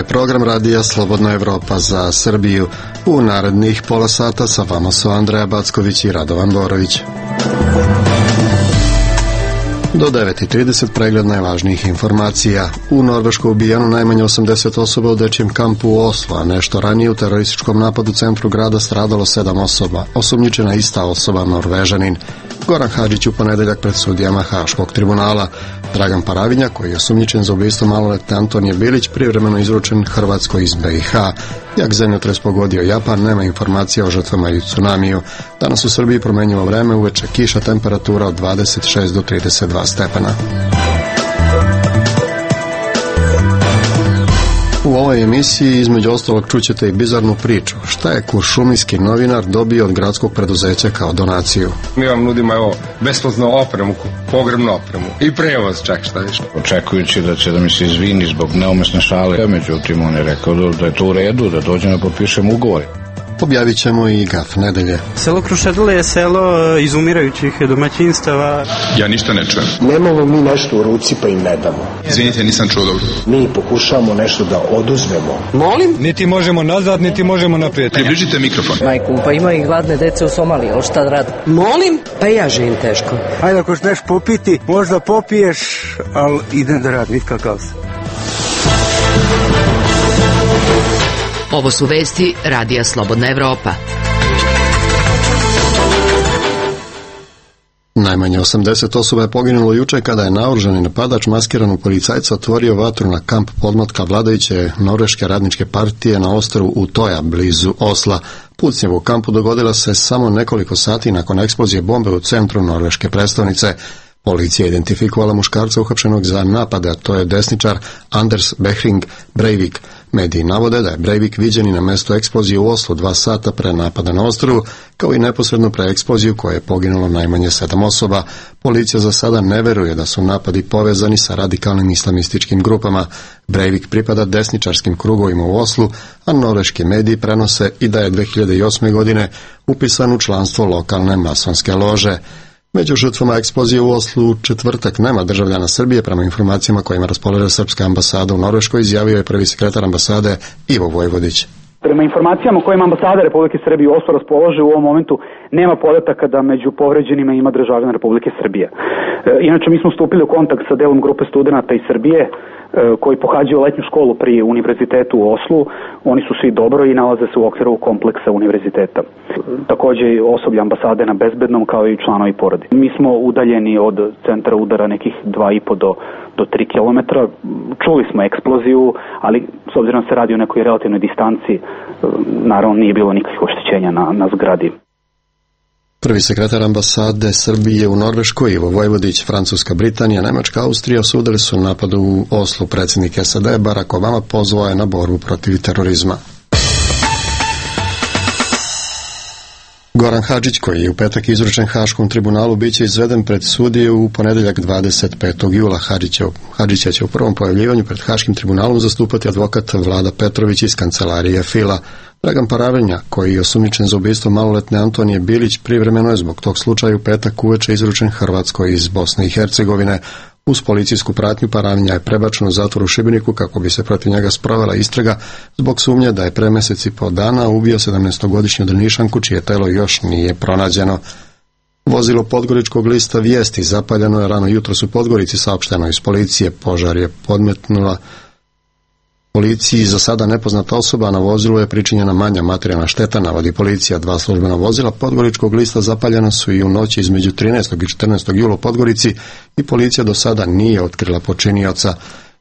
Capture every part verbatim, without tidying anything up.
program radija Slobodna Evropa za Srbiju. U narednih pola sata sa vama su Andreja Backović i Radovan Borović. Do devet i trideset pregled najvažnijih informacija. U Norveškoj ubijeno najmanje osamdeset osoba u dečjem kampu u Oslu, a nešto ranije u terorističkom napadu u centru grada stradalo sedam osoba. Osumnjičena ista osoba, Norvežanin. Goran Hadžić u ponedeljak pred sudijama Haškog tribunala. Dragan Paravinja, koji je osumnjičen za ubistvo maloletne Antonije Bilić, privremeno izručen Hrvatskoj iz be i ha. Jak zemljotres pogodio Japan, nema informacija o žrtvama i tsunamiju. Danas u Srbiji promenjivo vreme, uveče kiša, temperatura od dvadeset šest do trideset dva stepena. U ovoj emisiji između ostalog čućete i bizarnu priču. Šta je kuršumlijski novinar dobio od gradskog preduzeća kao donaciju? Mi vam nudimo evo besplatnu opremu, pogrebnu opremu i prevoz, čak šta više. Očekujući da će da mi se izvini zbog neumesne šale, međutim on je rekao da je to u redu, da dođem da potpišem ugovor. Objavit ćemo i gaf nedelje. Selo Krušedole je selo izumirajućih domaćinstava. Ja ništa ne čujem. Nemamo mi nešto u ruci pa im ne damo. Izvinite, nisam čuo dobro. Mi pokušavamo nešto da oduzmemo. Molim? Niti možemo nazad, niti možemo naprijed. Približite mikrofon. Majku, pa ima i gladne dece u Somaliji, ali šta da radi? Molim? Pa i ja živim teško. Ajde, ako ćeš popiti, možda popiješ, ali idem da radim, nikakav se. Ovo su vesti radija Slobodna Evropa. Najmanje osamdeset osoba je poginulo juče kada je naoružani napadač maskiran u policajca otvorio vatru na kamp podmlatka vladajuće Norveške radničke partije na ostrvu Utoja, blizu Osla. Pucnjava u kampu dogodila se samo nekoliko sati nakon eksplozije bombe u centru norveške prestonice. Policija je identifikovala muškarca uhapšenog za napade, a to je desničar Anders Behring Breivik. Mediji navode da je Breivik viđen i na mestu eksplozije u Oslu dva sata pre napada na ostrvu, kao i neposredno pre eksploziju koje je poginulo najmanje sedam osoba. Policija za sada ne veruje da su napadi povezani sa radikalnim islamističkim grupama. Breivik pripada desničarskim krugovima u Oslu, a norveški mediji prenose i da je dve hiljade osme. godine upisan u članstvo lokalne masonske lože. Među žrtvama eksplozije u Oslu u četvrtak nema državljana Srbije, prema informacijama kojima raspolaže Srpska ambasada u Norveškoj, izjavio je prvi sekretar ambasade Ivo Vojvodić. Prema informacijama kojima ambasada Republike Srbije u Oslu raspolaže u ovom momentu nema podataka da među povređenima ima državljana Republike Srbije. E, inače mi smo stupili u kontakt sa delom grupe studenata iz Srbije e, koji pohađaju letnju školu pri univerzitetu u Oslu. Oni su svi dobro i nalaze se u okviru kompleksa univerziteta. Takođe i osoblje ambasade na bezbednom kao i članovi porodice. Mi smo udaljeni od centra udara nekih dva i po do do tri kilometra. Čuli smo eksploziju, ali s obzirom se radi o nekoj relativnoj distanci, naravno nije bilo nikakvih oštećenja na, na zgradi. Prvi sekretar ambasade Srbije u Norveškoj Ivo Vojvodić, Francuska, Britanija, Nemačka, Austrija osudili su napad u Oslu. Predsjednik es a de Barack Obama pozvao je na borbu protiv terorizma. Goran Hadžić, koji je u petak izručen Haškom tribunalu, biće izveden pred sudije u ponedeljak dvadeset petog jula. Hadžića će u prvom pojavljivanju pred Haškim tribunalom zastupati advokat Vlada Petrović iz kancelarije Fila. Dragan Paravinja, koji je osumnjičen za ubistvo maloletne Antonije Bilić, privremeno je zbog tog slučaja u petak uveče izručen Hrvatskoj iz Bosne i Hercegovine. Uz policijsku pratnju Paravinja je prebačen u zatvor u Šibeniku kako bi se protiv njega sprovela istraga zbog sumnje da je pre mesec i po dana ubio sedamnaestogodišnju Drnišanku čije telo još nije pronađeno. Vozilo podgoričkog lista Vijesti zapaljeno je rano jutros u Podgorici, saopšteno iz policije. Požar je podmetnula policiji za sada nepoznata osoba, na vozilu je pričinjena manja materijalna šteta, navodi policija. Dva službena vozila podgoričkog lista zapaljena su i u noći između trinaestog i četrnaestog jula u Podgorici i policija do sada nije otkrila počinioca.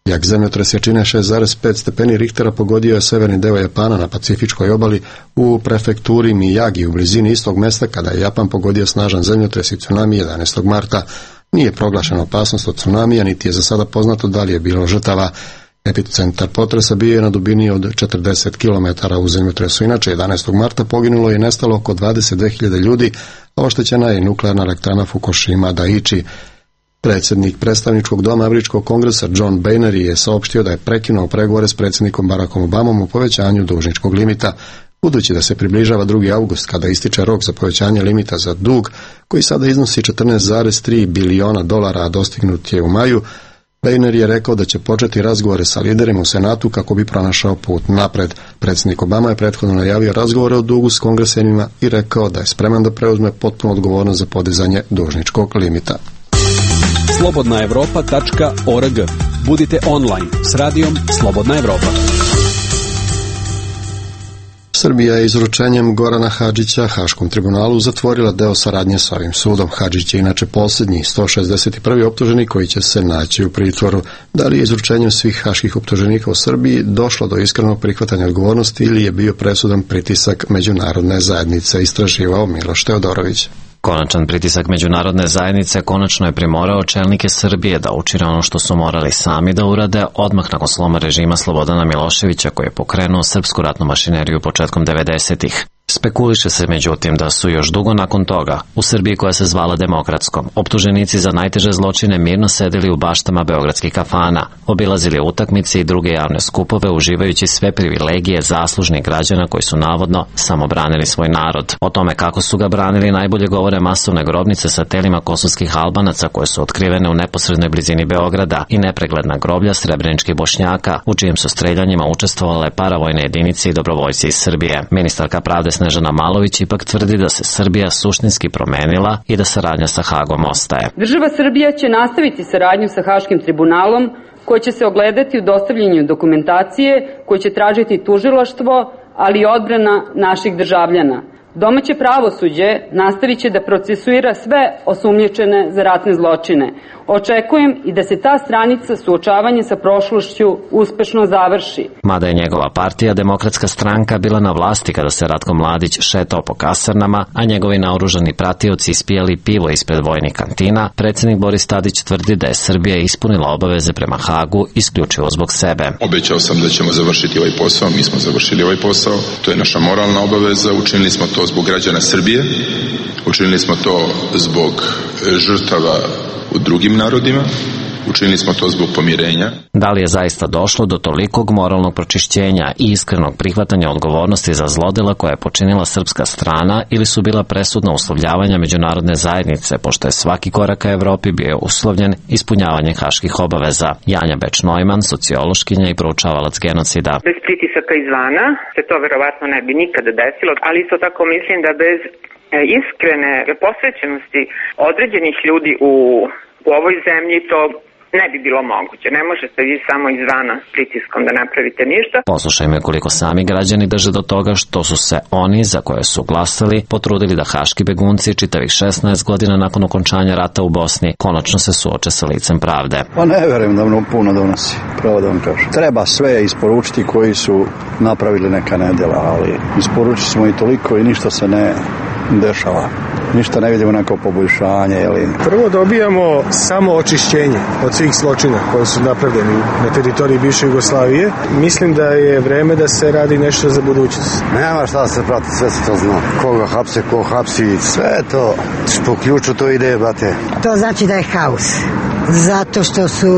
Jak zemljotres jačine šest zarez pet stepeni Richtera pogodio je severni deo Japana na Pacifičkoj obali u prefekturi Miyagi u blizini istog mesta kada je Japan pogodio snažan zemljotres i tsunami jedanaestog marta. Nije proglašena opasnost od tsunamija, niti je za sada poznato da li je bilo žrtava. Epicentar potresa bio je na dubini od četrdeset kilometara u zemljotresu. Inače, jedanaestog marta poginulo i nestalo oko dvadeset dve hiljade ljudi, a oštećena je nuklearna elektrana Fukushima Daiichi. Predsjednik predstavničkog doma Američkog kongresa John Boehner je saopštio da je prekinuo pregovore s predsjednikom Barackom Obamom u povećanju dužničkog limita. Budući da se približava drugi avgust kada ističe rok za povećanje limita za dug, koji sada iznosi četrnaest zarez tri biliona dolara, a dostignut je u maju, Weiner je rekao da će početi razgovore sa liderima u Senatu kako bi pronašao put napred. Predsjednik Obama je prethodno najavio razgovore o dugu s kongresenima i rekao da je spreman da preuzme potpuno odgovornost za podizanje dužničkog limita. slobodna evropa tačka org. Budite online s radijom Slobodna Evropa. Srbija je izručenjem Gorana Hadžića Haškom tribunalu zatvorila deo saradnje s ovim sudom. Hadžić je inače posljednji sto šezdeset prvi optuženi koji će se naći u pritvoru. Da li je izručenjem svih haških optuženika u Srbiji došlo do iskrenog prihvatanja odgovornosti ili je bio presudan pritisak međunarodne zajednice, istraživao Miloš Teodorović. Konačan pritisak međunarodne zajednice konačno je primorao čelnike Srbije da učine ono što su morali sami da urade odmah nakon sloma režima Slobodana Miloševića koji je pokrenuo srpsku ratnu mašineriju početkom devedesetih. Spekuliše se međutim da su još dugo nakon toga, u Srbiji koja se zvala demokratskom, optuženici za najteže zločine mirno sedeli u baštama beogradskih kafana, obilazili utakmice i druge javne skupove uživajući sve privilegije zaslužnih građana koji su navodno samo branili svoj narod. O tome kako su ga branili najbolje govore masovne grobnice sa telima kosovskih Albanaca koje su otkrivene u neposrednoj blizini Beograda i nepregledna groblja srebreničkih Bošnjaka u čijim su streljanjima učestvovale paravojne jedinice i dobrovoljci iz Srbije. Ministarka pravde Snežana Malović ipak tvrdi da se Srbija suštinski promenila i da saradnja sa Hagom ostaje. Država Srbija će nastaviti saradnju sa Haškim tribunalom koja će se ogledati u dostavljanju dokumentacije koju će tražiti tužilaštvo, ali i odbrana naših državljana. Domaće pravosuđe nastavit će da procesuira sve osumnjičene za ratne zločine. Očekujem i da se ta stranica suočavanja sa prošlošću uspešno završi. Mada je njegova partija, Demokratska stranka, bila na vlasti kada se Ratko Mladić šetao po kasarnama, a njegovi naoružani pratioci ispijali pivo ispred vojnih kantina, predsjednik Boris Tadić tvrdi da je Srbija ispunila obaveze prema Hagu isključivo zbog sebe. Obećao sam da ćemo završiti ovaj posao, mi smo završili ovaj posao, to je naša moralna obaveza, učinili smo to zbog građana Srbije, učinili smo to zbog žrtava u drugim narodima, učinili smo to zbog pomirenja. Da li je zaista došlo do tolikog moralnog pročišćenja i iskrenog prihvatanja odgovornosti za zlodela koje je počinila srpska strana ili su bila presudna uslovljavanja međunarodne zajednice, pošto je svaki korak ka Evropi bio uslovljen ispunjavanjem haških obaveza? Janja Beč-Neumann, sociološkinja i proučavalac genocida. Bez pritisaka izvana se to verovatno ne bi nikada desilo, ali isto tako mislim da bez iskrene posvećenosti određenih ljudi u, u ovoj zemlji to ne bi bilo moguće. Ne možete vi samo izvana s pritiskom da napravite ništa. Poslušajmo koliko sami građani drže do toga što su se oni za koje su glasali potrudili da haški begunci čitavih šesnaest godina nakon okončanja rata u Bosni konačno se suoče sa licem pravde. Pa ne verujem da mnogo puno donosi, pravo da vam kažem. Treba sve isporučiti koji su napravili neka nedjela, ali isporučili smo i toliko i ništa se ne dešava. Ništa ne vidimo neko poboljšanje. Ili... Prvo dobijamo samo očišćenje od svih zločina koji su napravljeni na teritoriji bivše Jugoslavije. Mislim da je vreme da se radi nešto za budućnost. Nema šta da se prati, sve se to zna. Koga hapse, ko hapsi, sve to. Po ključu to ide, brate. To znači da je haos. Zato što su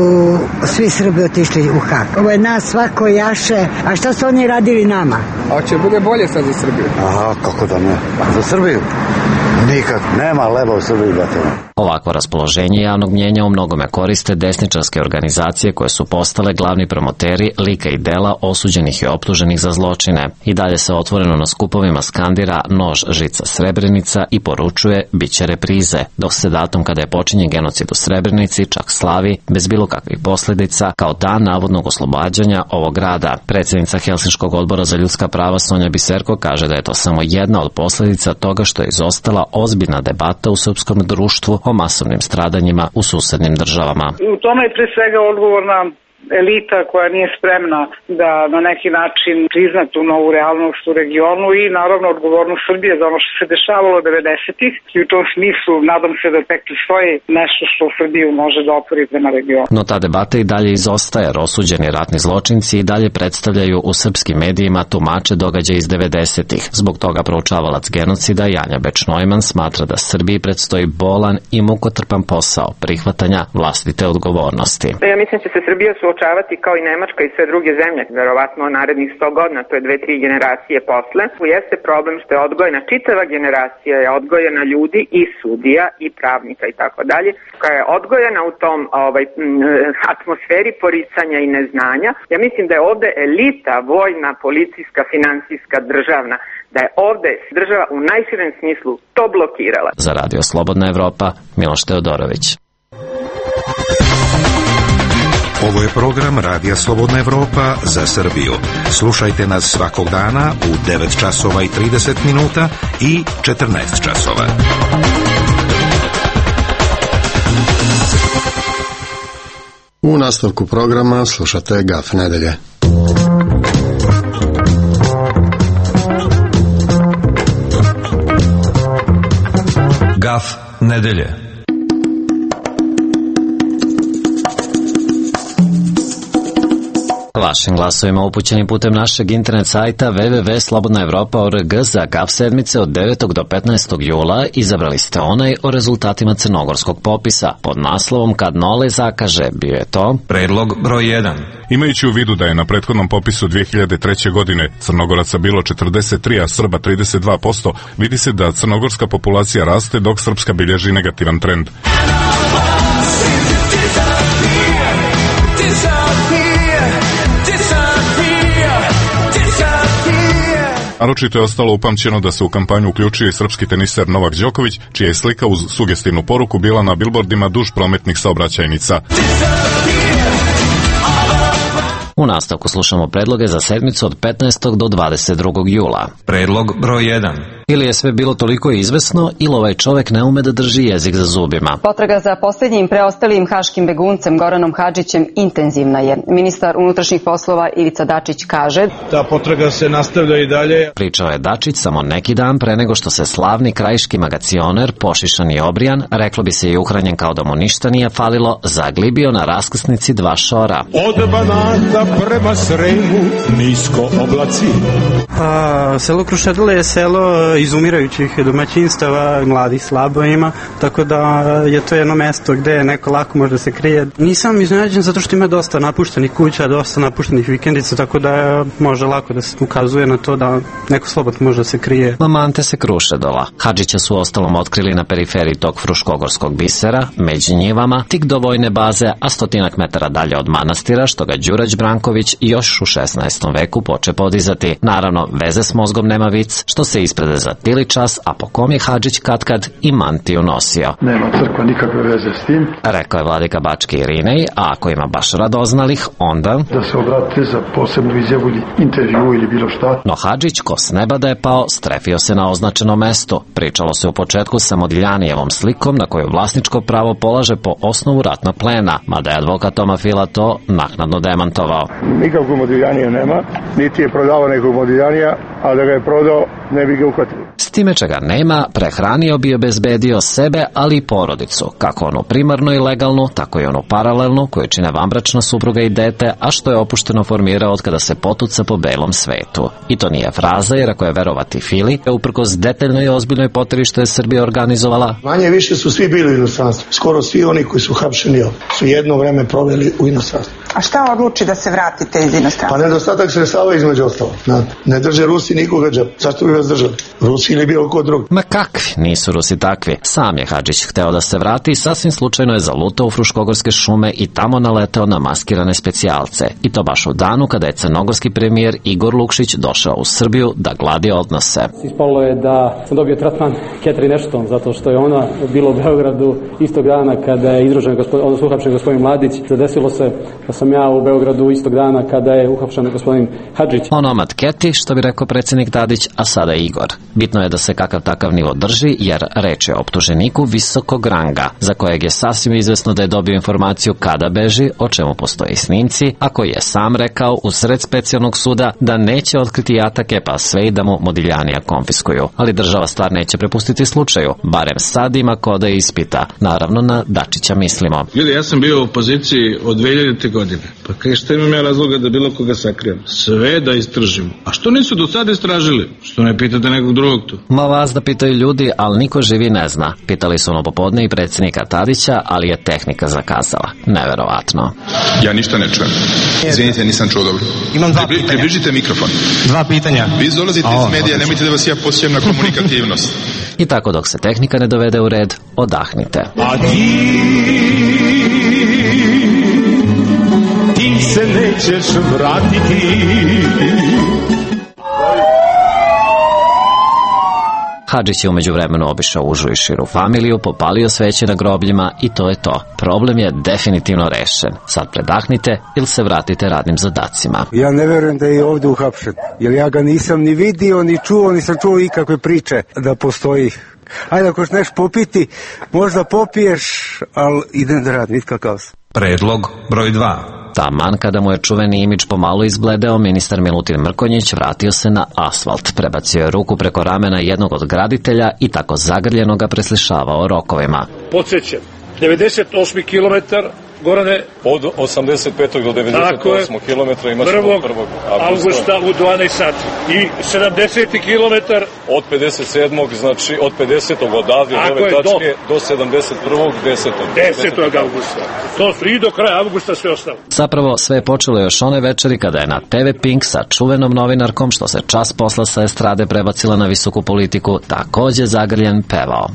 svi Srbi otišli u Hag. Ovo je nas svako jaše. A šta su oni radili nama? A će bude bolje sad za Srbiju? Aha, kako da ne. Za Srbiju? Nikak. Nema leba u Srbiji, brate. Ovakvo raspoloženje javnog mnjenja u mnogome koriste desničarske organizacije koje su postale glavni promoteri lika i dela osuđenih i optuženih za zločine. I dalje se otvoreno na skupovima skandira nož, žica, Srebrenica i poručuje bit će reprize, dok se datum kada je počinjen genocid u Srebrenici čak slavi bez bilo kakvih posljedica kao dan navodnog oslobađanja ovog grada. Predsjednica Helsinškog odbora za ljudska prava Sonja Biserko kaže da je to samo jedna od posljedica toga što je izostala ozbiljna debata u srpskom društvu o masovnim stradanjima u susednim državama. U tome je pre svega odgovorna elita koja nije spremna da na neki način prizna tu novu realnost u regionu i naravno odgovornost Srbije za ono što se dešavalo devedesetih i u tom smislu nadam se da tek postoji nešto što Srbiju može da opori prema regionu. No ta debata i dalje izostaje jer osuđeni ratni zločinci i dalje predstavljaju u srpskim medijima tumače događaja iz devedesetih. Zbog toga proučavalac genocida Janja Beč-Neumann smatra da Srbiji predstoji bolan i mukotrpan posao prihvatanja vlastite odgovornosti. Ja mislim da će se Srbija suočavati kao i Nemačka i sve druge zemlje, verovatno narednih sto godina, to je dve, tri generacije posle. Jeste problem što je odgojena čitava generacija, je odgojena ljudi i sudija i pravnika i tako dalje, koja je odgojena u tom ovaj, atmosferi poricanja i neznanja. Ja mislim da je ovde elita vojna, policijska, finansijska, državna, da je ovde država u najširem smislu to blokirala. Za Radio Slobodna Evropa, Miloš Teodorović. Ovo je program Radija Slobodna Evropa za Srbiju. Slušajte nas svakog dana u devet časova i trideset minuta i četrnaest časova. U nastavku programa slušate Gaf nedelje. Gaf nedelje. Vašim glasovima upućenim putem našeg internet sajta w w w tačka slobodna evropa tačka org za Gaf sedmice od devetog do petnaestog jula izabrali ste onaj o rezultatima crnogorskog popisa. Pod naslovom Kad Nole zakaže bio je to predlog broj jedan. Imajući u vidu da je na prethodnom popisu dve hiljade treće. godine Crnogoraca bilo četrdeset tri, a Srba trideset dva posto, vidi se da crnogorska populacija raste dok srpska bilježi negativan trend. Naročito je ostalo upamćeno da se u kampanju uključio i srpski teniser Novak Đoković, čija je slika uz sugestivnu poruku bila na bilbordima duž prometnih saobraćajnica. U nastavku slušamo predloge za sedmicu od petnaestog do dvadeset drugog jula. Predlog broj jedan. Ili je sve bilo toliko izvesno, ili ovaj čovek ne ume da drži jezik za zubima. Potraga za posljednjim preostalim haškim beguncem Goranom Hadžićem intenzivna je. Ministar unutrašnjih poslova Ivica Dačić kaže: ta potraga se nastavlja i dalje. Pričao je Dačić samo neki dan pre nego što se slavni krajiški magacioner, pošišan i obrijan, reklo bi se i uhranjen kao da mu ništa nije falilo, zaglibio na raskrsnici dva šora. Od Banata prema Sremu nisko oblaci. A, selo Krušedole je selo izumirajućih domaćinstava, mladih slabo ima, tako da je to jedno mesto gde neko lako može da se krije. Nisam iznenađen zato što ima dosta napuštenih kuća, dosta napuštenih vikendica, tako da može lako da se ukazuje na to da neko slobodno može da se krije. Mamante se Krušedola. Hadžića su ostalom otkrili na periferiji tog fruškogorskog bisera, među njivama, tik do vojne baze, a stotinak metara dalje od manastira, što ga Đurać Branković još u šesnaestom veku poče podizati. Naravno, veze s mozgom nema vic, što se isprede za tili čas, a po kom je Hadžić katkad i mantiju nosio. Nema crkva nikakve veze s tim, rekao je vladika Bački Irinej, a ako ima baš radoznalih, onda da se obratite za posebnu izjavu ili intervju ili bilo šta. No Hadžić, ko s neba da je pao, strefio se na označeno mesto. Pričalo se u početku sa Modiljanijevom slikom na koju vlasničko pravo polaže po osnovu ratnog plena, mada je advokat Toma Fila to naknadno demantovao. Nikakvog Modiljanija nema, niti je prodavao nekog Modiljanija, a da ga je prodao ne bi ga uhvatili. S time čega nema, prehranio bi obezbedio sebe, ali i porodicu, kako onu primarnu i legalnu, tako i onu paralelnu, koju čine vanbračna supruga i dete, a što je opušteno formirao od kada se potuca po belom svetu. I to nije fraza, jer ako je verovati Fili, uprkos detaljnoj i ozbiljnoj poteri što je Srbija organizovala, manje više su svi bili u inostranstvu. Skoro svi oni koji su hapšeni su jedno vreme proveli u inostranstvu. A šta odluči da se vratite iz inostranstva? Pa nedostatak sredstava između ostalo. Ne drže Rusi nikoga džep. Zašto bi vas držali? Rusi ili bilo ko drugi? Ma kakvi, nisu Rusi takvi. Sam je Hadžić hteo da se vrati i sasvim slučajno je zalutao u Fruškogorske šume i tamo naleteo na maskirane specijalce. I to baš u danu kada je crnogorski premijer Igor Lukšić došao u Srbiju da gladi odnose. Ispalo je da sam dobio tretman Catherine Ashton, zato što je ona bila u Beogradu istog dana kada je izružen gospodin, odnosno uhapšen gospodin Mladić. Zadesilo se da sam ja u Beogradu istog dana kada je uhapšen gospodin Hadžić. Onomad Keti, što bi rekao predsjednik Tadić, a sada Igor. Bitno je da se kakav takav nivo drži, jer reč je o optuženiku visokog ranga, za kojeg je sasvim izvesno da je dobio informaciju kada beži, o čemu postoje snimci, a koji je sam rekao u sred specijalnog suda da neće otkriti jatake, pa sve i da mu Modiljanija konfiskuju. Ali država stvar neće prepustiti slučaju, barem sad ima ko da ispita. Naravno, na Dačića mislimo. Ljudi, ja sam bio u opoziciji od dve hiljadite. godine. Pa kaj šta imam ja razloga da bilo koga sakrijem? Sve da istražimo. A što nisu do sada ste istražili? Što ne pitate nekog drugog tu? Ma vas da pitaju ljudi, ali niko živi ne zna. Pitali su ono popodne i predsjednika Tadića, ali je tehnika zakazala. Neverovatno. Ja ništa ne čujem. Izvinite, nisam čuo dobro. Imam dva pitanja. Približite mikrofon. Dva pitanja. Vi dolazite iz medija, nemojte da vas ja posjećam na komunikativnost. I tako dok se tehnika ne dovede u red, odahnite. A ti, ti se nećeš vratiti. Hadžić je umeđu vremenu obišao užu i širu familiju, popalio sveće na grobljima i to je to. Problem je definitivno rešen. Sad predahnite ili se vratite radnim zadacima. Ja ne verujem da je ovdje uhapšen, jer ja ga nisam ni vidio, ni čuo, nisam čuo ikakve priče da postoji. Ajde, ako ćeš nešto popiti, možda popiješ, ali idem da radim, kakav sam. Predlog broj dva. Taman kada mu je čuveni imidž pomalo izbledeo, ministar Milutin Mrkonjić vratio se na asfalt, prebacio je ruku preko ramena jednog od graditelja i tako zagrljeno ga preslišavao rokovima. Podsjećam, devedeset osmi kilometar, Gorane, od osamdeset petog do devedeset osmog kilometra imaš prvog avgusta u dvanaest sati i sedamdeseti kilometar od pedeset sedmog znači od pedesetog odavde od ove tačke do, do sedamdeset prvog desetog desetog avgusta. To su i do kraja avgusta sve ostalo. Zapravo sve je počelo još one večeri kada je na te ve Pink sa čuvenom novinarkom što se čas posla sa estrade prebacila na visoku politiku takođe zagrljen pevao.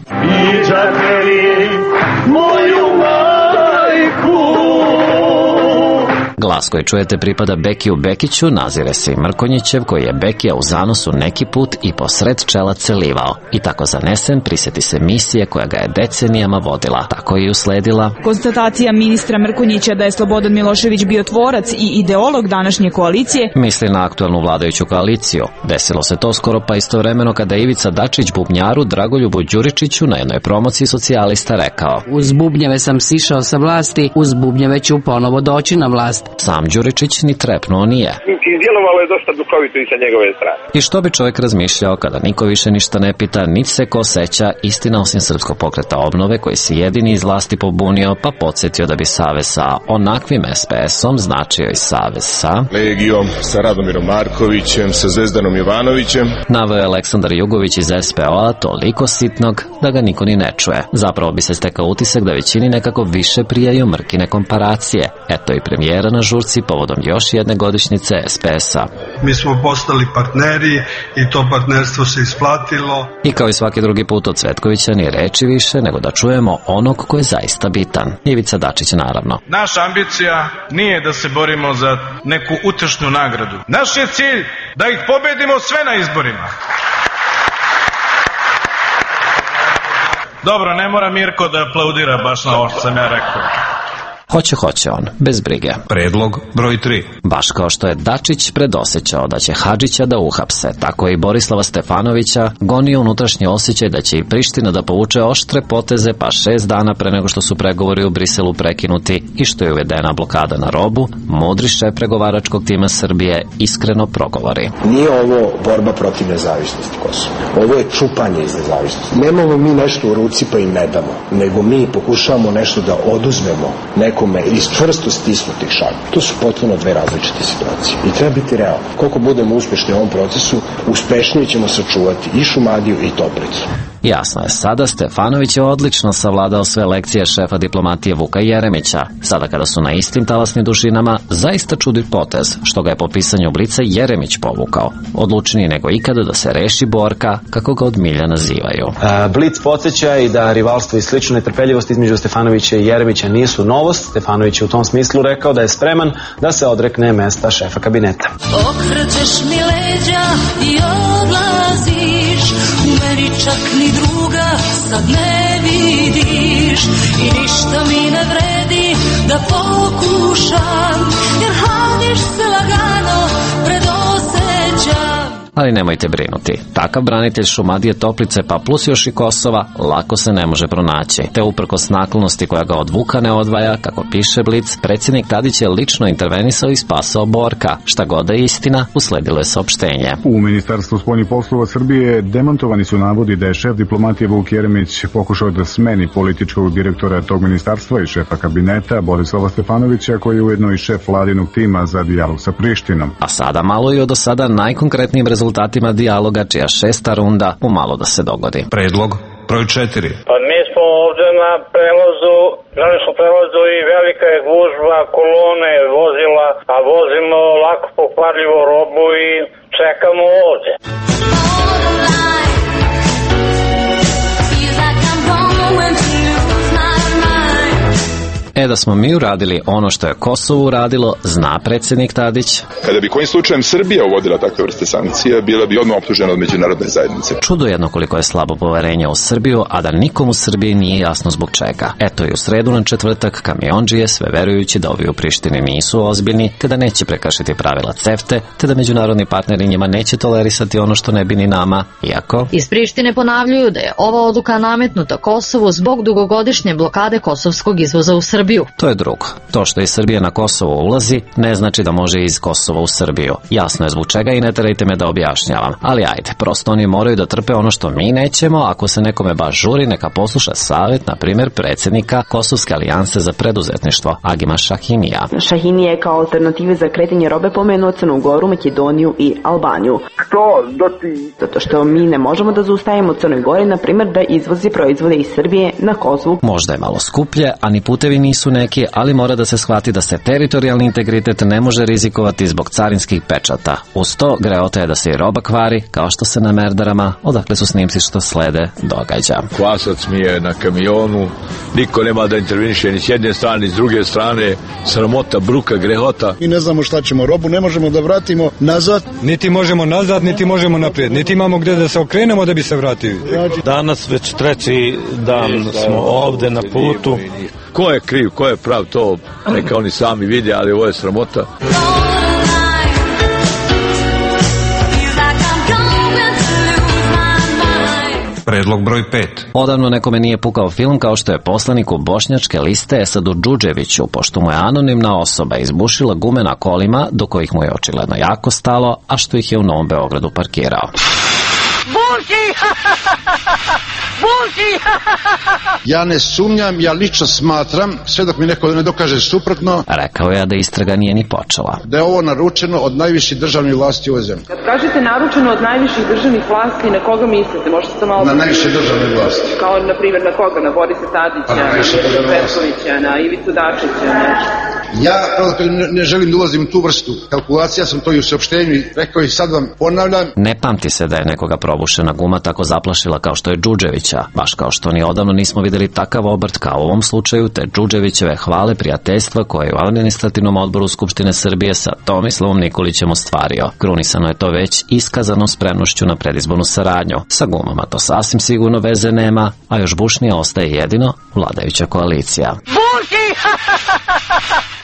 Glas koji čujete pripada Bekiju Bekiću, nazire se i Mrkonjićev, koji je Bekija u zanosu neki put i posred čela celivao. I tako zanesen prisjeti se misije koja ga je decenijama vodila. Tako je i usledila konstatacija ministra Mrkonjića da je Slobodan Milošević bio tvorac i ideolog današnje koalicije. Misli na aktuelnu vladajuću koaliciju. Desilo se to skoro pa istovremeno kada je Ivica Dačić bubnjaru Dragoljubu Đuričiću na jednoj promociji socijalista rekao: uz bubnjeve sam sišao sa vlasti, uz bubnjeve ću ponovo doći na vlast. Sam Đuričić ni trepnuo nije. Djelovalo je dosta duhovito i sa njegove strane. I što bi čovjek razmišljao kada niko više ništa ne pita, niti se ko seća, istina osim Srpskog pokreta obnove koji se jedini iz vlasti pobunio pa podsjetio da bi savez sa onakvim es pe esom značio i savez sa Legijom, sa Radomirom Markovićem, sa Zvezdanom Jovanovićem. Naveo je Aleksandar Jugović iz es pe o-a toliko sitnog da ga niko ni ne čuje. Zapravo bi se stekao utisak da većini nekako više prijaju Mrkine komparacije. Eto i premijera na žurci povodom još jedne godišnjice es pe es-a. Mi smo postali partneri i to partnerstvo se isplatilo. I kao i svaki drugi put od Cvetkovića ni reči više nego da čujemo onog ko je zaista bitan. Ivica Dačić naravno. Naša ambicija nije da se borimo za neku utešnu nagradu. Naš je cilj da ih pobedimo sve na izborima. Dobro, ne mora Mirko da aplaudira baš na ovo što sam ja rekao. Hoće, hoće on, bez brige. Predlog broj tri. Baš kao što je Dačić predosećao da će Hadžića da uhapse, tako je i Borislava Stefanovića gonio unutrašnji osjećaj da će i Priština da povuče oštre poteze pa šest dana pre nego što su pregovori u Briselu prekinuti i što je uvedena blokada na robu, mudri šef pregovaračkog tima Srbije iskreno progovori. Nije ovo borba protiv nezavisnosti Kosova. Ovo je čupanje iz nezavisnosti. Nemamo mi nešto u ruci pa im ne damo, nego mi pokušavamo nešto da oduzmemo nekome iz čvrsto stisnutih šaku. To su potpuno dve različite situacije. I treba biti realno. Koliko budemo uspešni u ovom procesu, uspešnije ćemo sačuvati i Šumadiju i Toplicu. Jasno je, sada Stefanović je odlično savladao sve lekcije šefa diplomatije Vuka Jeremića. Sada kada su na istim talasnim dužinama, zaista čudi potez, što ga je po pisanju Blica Jeremić povukao. Odlučniji nego ikada da se reši Borka, kako ga od milja nazivaju. Blic podsjeća i da rivalstvo i slična netrpeljivost između Stefanovića i Jeremića nisu novost. Stefanović je u tom smislu rekao da je spreman da se odrekne mesta šefa kabineta. Okrećeš mi leđa i odlaziš, u meni čak ni druga sad ne vidiš i ništa mi ne vredi da pokušam, jer haniš se lagano predosećam. Ali nemojte brinuti, takav branitelj Šumadije, Toplice pa plus još i Kosova lako se ne može pronaći. Te uprkos naklonosti koja ga od Vuka ne odvaja, kako piše Blic, predsjednik Tadić je lično intervenisao i spasao Borka. Šta god da je istina, usledilo je saopštenje. U Ministarstvu spoljnih poslova Srbije demantovani su navodi da je šef diplomatije Vuk Jeremić pokušao da smeni političkog direktora tog ministarstva i šefa kabineta Borislava Stefanovića, koji je ujedno i šef vladinog tima za dijalog sa Prištinom. A sada malo i o do sada najkonkretnijim rezultatima rezultatima dijaloga, čija šesta runda umalo da se dogodi. Predlog broj četiri. Pa mi smo ovde na prevozu, železničkom prevozu i velika je gužva, kolone vozila, a vozimo lako pokvarljivu robu i čekamo ovde. E da smo mi uradili ono što je Kosovo uradilo, zna predsjednik Tadić. Kada bi kojim slučajem Srbija uvodila takve vrste sankcija, bila bi odmah optužena od međunarodne zajednice. Čudo jedno koliko je slabo poverenje u Srbiju, a da nikom u Srbiji nije jasno zbog čega. Eto i u sredu na četvrtak kamiondžije, sve verujući da ovi u Prištini nisu ozbiljni, kada neće prekršiti pravila CEFTE, te da međunarodni partneri njima neće tolerisati ono što ne bi ni nama, iako... Iz Prištine ponavljaju da je ova odluka nametnuta Kosovu zbog dugogodišnje blokade kosovskog izvoza u Srbiju. To je drugo. To što iz Srbije na Kosovo ulazi, ne znači da može iz Kosova u Srbiju. Jasno je zbog čega i ne terajte me da objašnjavam. Ali ajde, prosto oni moraju da trpe ono što mi nećemo, ako se nekome baš žuri, neka posluša savjet, na primjer, predsjednika Kosovske alijanse za preduzetništvo, Agima Šahinija. Šahinija je kao alternative za kretanje robe pomenuo Crnu Goru, Makedoniju i Albaniju. Što da ti? Zato što mi ne možemo da zaustavimo Crnoj Gori, na primjer, da izvozi proizvode iz Srbije na Kosovu. Možda je malo skuplje, a ni putevi nisu neki, ali mora da se shvati da se teritorijalni integritet ne može rizikovati zbog carinskih pečata. Uz to, greota je da se i roba kvari, kao što se na merdarama, odakle su snimci što slede, događa. Kvasac mi je na kamionu, niko nema da interveniše ni s jedne strane, ni s druge strane, sramota, bruka, grehota. Mi ne znamo šta ćemo, robu ne možemo da vratimo nazad. Niti možemo nazad, niti možemo naprijed, niti imamo gde da se okrenemo da bi se vratili. Danas već treći dan smo ovde na putu. Ko je kriv, ko je prav, to neka oni sami vide, ali ovo je sramota. Predlog broj pet. Odavno nekome nije pukao film kao što je poslaniku bošnjačke liste Esadu Džudževiću, pošto mu je anonimna osoba izbušila gume na kolima, do kojih mu je očigledno jako stalo, a što ih je u Novom Beogradu parkirao. Buši! Buši! Ja ne sumnjam, ja lično smatram, sve dok mi neko ne dokaže suprotno, rekao je da istraga nije ni počela, da je ovo naručeno od najviših državnih vlasti u ovoj zemlji. Kad kažete naručeno od najviših državnih vlasti, na koga mislite? Možete to malo... Na najviše državne vlasti. Kao, na primjer, na koga? Na Borisa Tadića, na, na Petkovića, na Ivicu Dačića, na... Ja ne, ne želim da ulazim u tu vrstu kalkulacija, sam to i u saopštenju rekao i sad vam ponavljam. Ne pamti se da je nekoga probušena guma tako zaplašila kao što je Džudževića, baš kao što ni odavno nismo videli takav obrt kao u ovom slučaju, te Džudževićeve hvale prijateljstva koje je u administrativnom odboru Skupštine Srbije sa Tomislavom Nikolićem ostvario. Krunisano je to već iskazanom spremnošću na predizbornu saradnju. Sa gumama to sasvim sigurno veze nema, a još bušnije ostaje jedino vladajuća koalicija. Buši!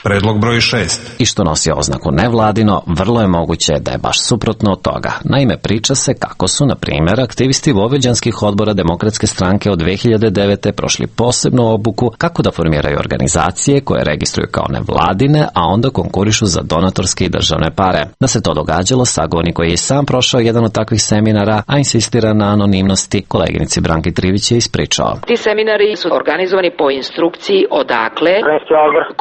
Predlog broj šest. I što nosi oznaku nevladino, vrlo je moguće da je baš suprotno od toga. Naime, priča se kako su, na primjer, aktivisti vojvođanskih odbora Demokratske stranke od dve hiljade devete. prošli posebnu obuku kako da formiraju organizacije koje registruju kao nevladine, a onda konkurišu za donatorske i državne pare. Da se to događalo, sagovornik koji je sam prošao jedan od takvih seminara, a insistira na anonimnosti, koleginici Branki Trivić je ispričao. Ti seminari su organizovani po instrukciji odakle?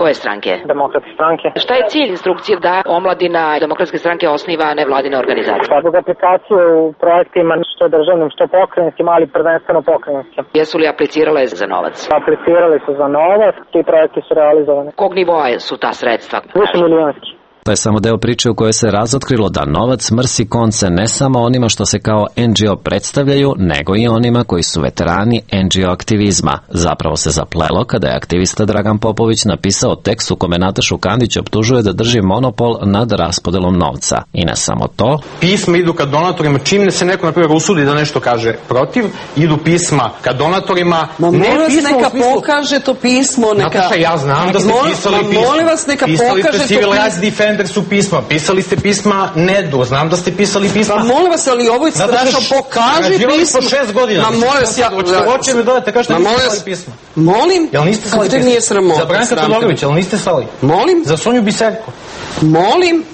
Koje stranke? Demokratske stranke. Šta je cilj instrukcije da omladina Demokratske stranke osniva nevladine organizacije? Zbog aplikacije u projektima što državnim, što pokrajinskim, ali prvenstveno pokrajinskim. Jesu li aplicirale za novac? Aplicirali su za novac, ti projekti su realizovani. Kog nivoa su ta sredstva? Više milijonski. To je samo deo priče u kojoj se razotkrilo da novac mrsi konce ne samo onima što se kao en dži o predstavljaju, nego i onima koji su veterani en dži o aktivizma. Zapravo se zaplelo kada je aktivista Dragan Popović napisao tekst u kome Natašu Kandić optužuje da drži monopol nad raspodelom novca. I ne samo to. Pisma idu ka donatorima, čim se neko, na primjer, usudi da nešto kaže protiv, idu pisma ka donatorima. Ma molim vas neka smislu... pokaže to pismo. Neka... Nataša, ja znam da ste pisali pismo. Ma molim vas neka pisali pokaže to pismo. Su pisma. Pisali ste pisma Nedu. Znam da ste pisali pisma. Ma molim vas, ali ovo je strašno, pokaži pismo. Po šest godina. Ma molim vas, ja... Hoće mi dodate, kažete niste slali pisma. Molim? Jel niste slali pisma? Nije sramota. Za Branka Todorovića, jel niste slali? Molim? Za Sonju Biserko. Molim?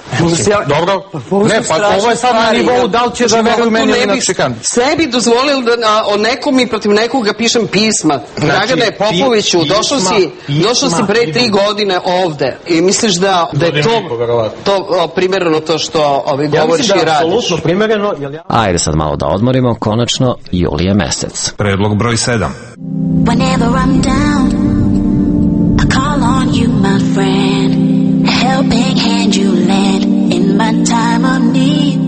Dobro, ne, pa ovo je sad na nivou da li će da veruju meni ili na čekan. Sebi dozvolili da o nekom i protiv nekoga pišem pisma. Dragane Popoviću, došao si, došao si pre tri godine ovde i misliš da, da je to, to primereno to što ovi govoriš i radiš? Ja mislim da je apsolutno primereno. Ajde sad malo da odmorimo, konačno julije mesec. Predlog broj sedam. Whenever I'm down, I call on you, my friend. A helping hand you lend in my time of need.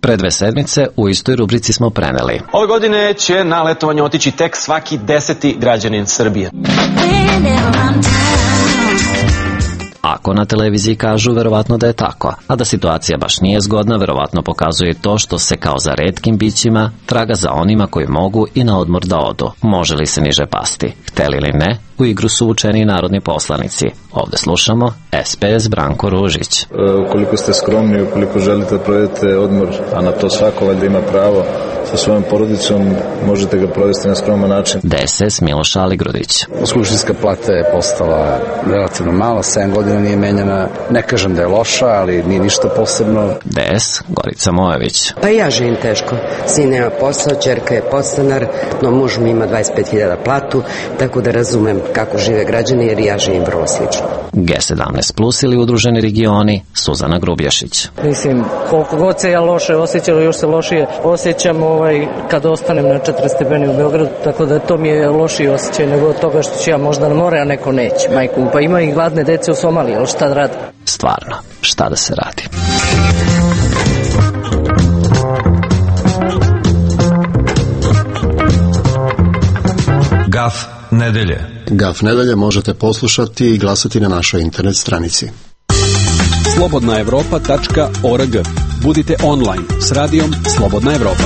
Pre dve sedmice u istoj rubrici smo preneli. Ove godine će na letovanje otići tek svaki deseti građanin Srbije. Whenever I'm down. Ako na televiziji kažu, verovatno da je tako, a da situacija baš nije zgodna, verovatno pokazuje to što se kao za retkim bićima traga za onima koji mogu i na odmor da odu. Može li se niže pasti? Hteli ili ne, u igru su učeni narodni poslanici. Ovde slušamo S P S Branko Ružić. E, ukoliko ste skromni, ukoliko želite da provedete odmor, a na to svako valjda ima pravo, sa svojom porodicom možete ga provesti na skroman način. D S S Miloš Aligrudić. Službinska plata je postala relativno mala, sedam godina nije menjana. Ne kažem da je loša, ali nije ništa posebno. D S Gorica Mojević. Pa ja živim teško. Sin nema posao, ćerka je podstanar, no muž mi ima dvadeset pet hiljada platu, tako da razumem kako žive građani jer ja živim vrlo slično. G sedamnaest plus ili Udruženi regioni, Suzana Grubješić. Mislim, koliko god se ja loše osjećam, još se lošije osjećam ovaj, kad ostanem na četiri stepeni u Beogradu, tako da to mi je lošiji osjećaj nego od toga što ću ja možda na more, a neko neće. Majku, pa ima i gladne dece u Somaliji, ali šta da radi? Stvarno, šta da se radi? Gaf nedelje. Gaf nedelje možete poslušati i glasati na našoj internet stranici. slobodna evropa tačka org. Budite online s radijom Slobodna Evropa.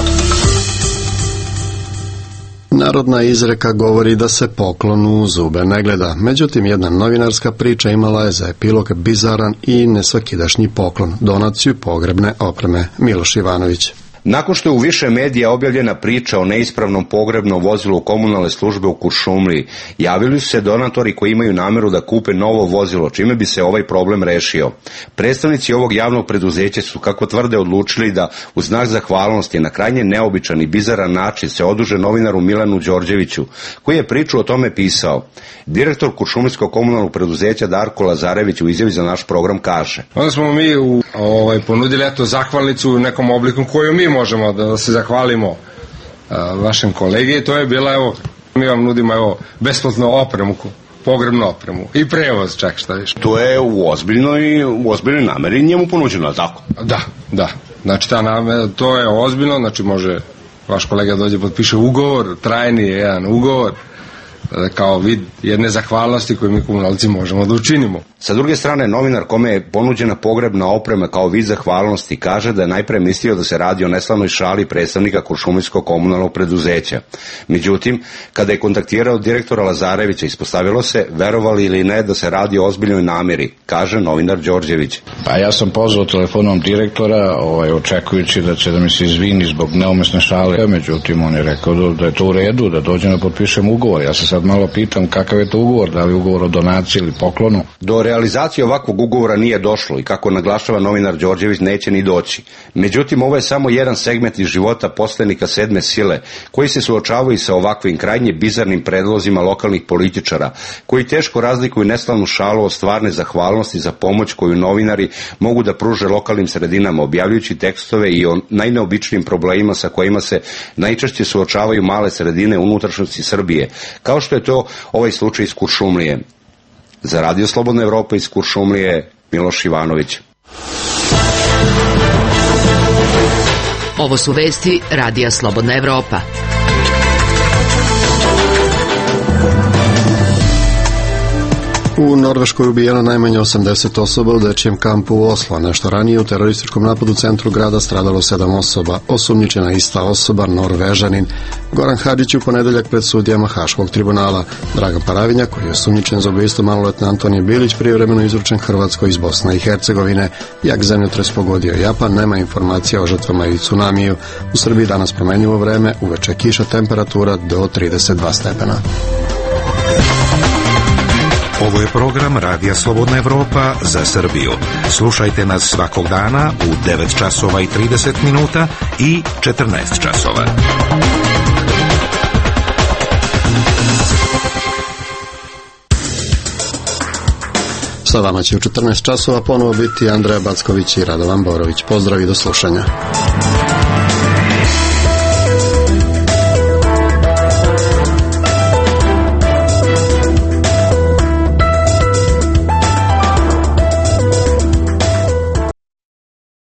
Narodna izreka govori da se poklon u zube ne gleda. Međutim, jedna novinarska priča imala je za epilog bizaran i nesvakidašnji poklon, donaciju pogrebne opreme. Miloš Ivanović. Nakon što je u više medija objavljena priča o neispravnom pogrebnom vozilu komunalne službe u Kuršumliji, javili su se donatori koji imaju nameru da kupe novo vozilo, čime bi se ovaj problem rešio. Predstavnici ovog javnog preduzeća su, kako tvrde, odlučili da u znak zahvalnosti na krajnje neobičan i bizaran način se oduže novinaru Milanu Đorđeviću, koji je priču o tome pisao. Direktor Kuršumlijskog komunalnog preduzeća Darko Lazarević u izjavi za naš program kaže: Onda smo mi u, ovaj, ponudili eto zahvalnicu u nekom obliku koju mi možemo da se zahvalimo a, vašem kolegi i to je bila, evo, mi vam nudimo, evo, besplatnu opremu, pogrebnu opremu i prevoz, čak šta više. To je u ozbiljnoj, u ozbiljnoj nameri njemu ponuđeno, tako? Da, da. Znači, ta namera, to je ozbiljno, znači može vaš kolega dođe, potpiše ugovor, trajni je jedan ugovor, kao vid jedne zahvalnosti koju mi komunalci možemo da učinimo. Sa druge strane, novinar kome je ponuđena pogrebna oprema kao vid zahvalnosti kaže da je najpre mislio da se radi o neslavnoj šali predstavnika Kuršumlijskog komunalnog preduzeća. Međutim, kada je kontaktirao direktora Lazarevića, ispostavilo se, verovali ili ne, da se radi o ozbiljnoj nameri, kaže novinar Đorđević. Pa ja sam pozvao telefonom direktora, ovaj, očekujući da će da mi se izvini zbog neumesne šale, međutim on je rekao da, da je to u redu, da dođem da potpišem ugovor. Ja se sad malo pitam kakav je to ugovor, da li ugovor o donaciji ili poklonu. Do realizacije ovakvog ugovora nije došlo i, kako naglašava novinar Đorđević, neće ni doći. Međutim, ovo je samo jedan segment iz života poslanika sedme sile, koji se suočavaju sa ovakvim krajnje bizarnim predlozima lokalnih političara, koji teško razlikuju neslavnu šalu od stvarne zahvalnosti za pomoć koju novinari mogu da pruže lokalnim sredinama, objavljujući tekstove i o najneobičnijim problemima sa kojima se najčešće suočavaju male sredine unutrašnjosti Srbije, kao što je to ovaj slučaj iz Kuršumlije. Za Radio Slobodna Evropa iz Kuršumlije, Miloš Ivanović. Ovo su vesti Radija Slobodna Evropa. U Norveškoj ubijeno najmanje osamdeset osoba u dečijem kampu u Oslo. Nešto ranije u terorističkom napadu u centru grada stradalo sedam osoba. Osumnjičena ista osoba, Norvežanin. Goran Hadžić u ponedeljak pred sudijama Haškog tribunala. Dragan Paravinja, koji je osumnjičen za ubistvo maloletne Antonije Bilić, privremeno izručen Hrvatskoj iz Bosne i Hercegovine. Jak zemljotres pogodio Japan, nema informacija o žrtvama i tsunamiju. U Srbiji danas promenljivo vreme, uveče kiša, temperatura do trideset dva stepena. Ovo je program Radija Slobodna Evropa za Srbiju. Slušajte nas svakog dana u devet časova i trideset minuta i četrnaest časova. Sa vama će u četrnaest časova ponovo biti Andreja Backović i Radovan Borović. Pozdrav i do slušanja.